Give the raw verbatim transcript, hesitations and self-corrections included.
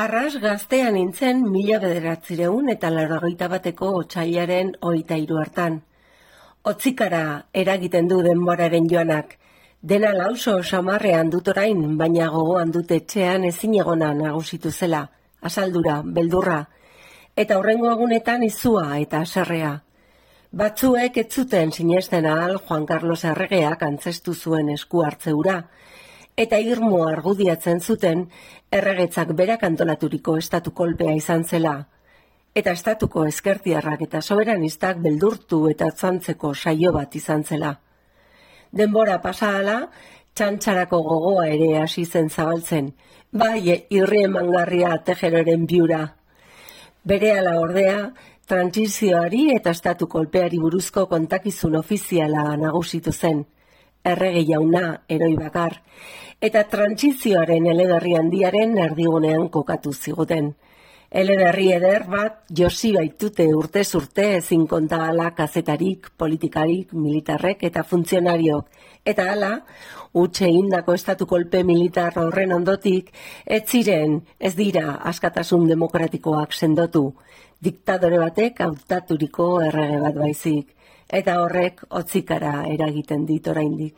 Arras gaztean nintzen mila bederatzireun eta laurogeita bateko otsailaren hogeita hiru hartan. Otzikara eragiten du denboraren joanak. Dena lauso samarrean dut orain, baina gogoan dut etxean ezin egona nagusitu zela, asaldura, beldurra, eta hurrengo egunetan izua eta haserrea. Batzuek ez zuten sinesten ahal Juan Carlos erregeak antzestu zuen esku hartze hura, eta irmo argudiatzen zuten erregetzak berak antolaturiko estatu kolpea izan zela, eta estatuko ezkertiarrak eta soberanistak beldurtu eta atzantzeko saio bat izan zela. Denbora pasahala, txantxarako gogoa ere hasi zen zabaltzen, bai irri emangarria Tejeroren biura. Berehala ordea, trantsizioari eta estatu kolpeari buruzko kontakizun ofiziala nagusitu zen, errege jauna eroi bakar, eta trantsizioaren eleberri handiaren erdigunean kokatu ziguten. Eleberri eder bat josi baitute urtez urte ezin kontahala kazetarik, politikarik, militarrek eta funtzionariok, eta hala, huts egindako estatu kolpe militar horren ondotik, ez ziren, ez dira askatasun demokratikoak sendotu, diktadore batek hautaturiko errege bat baizik, eta horrek otzikara eragiten dit oraindik.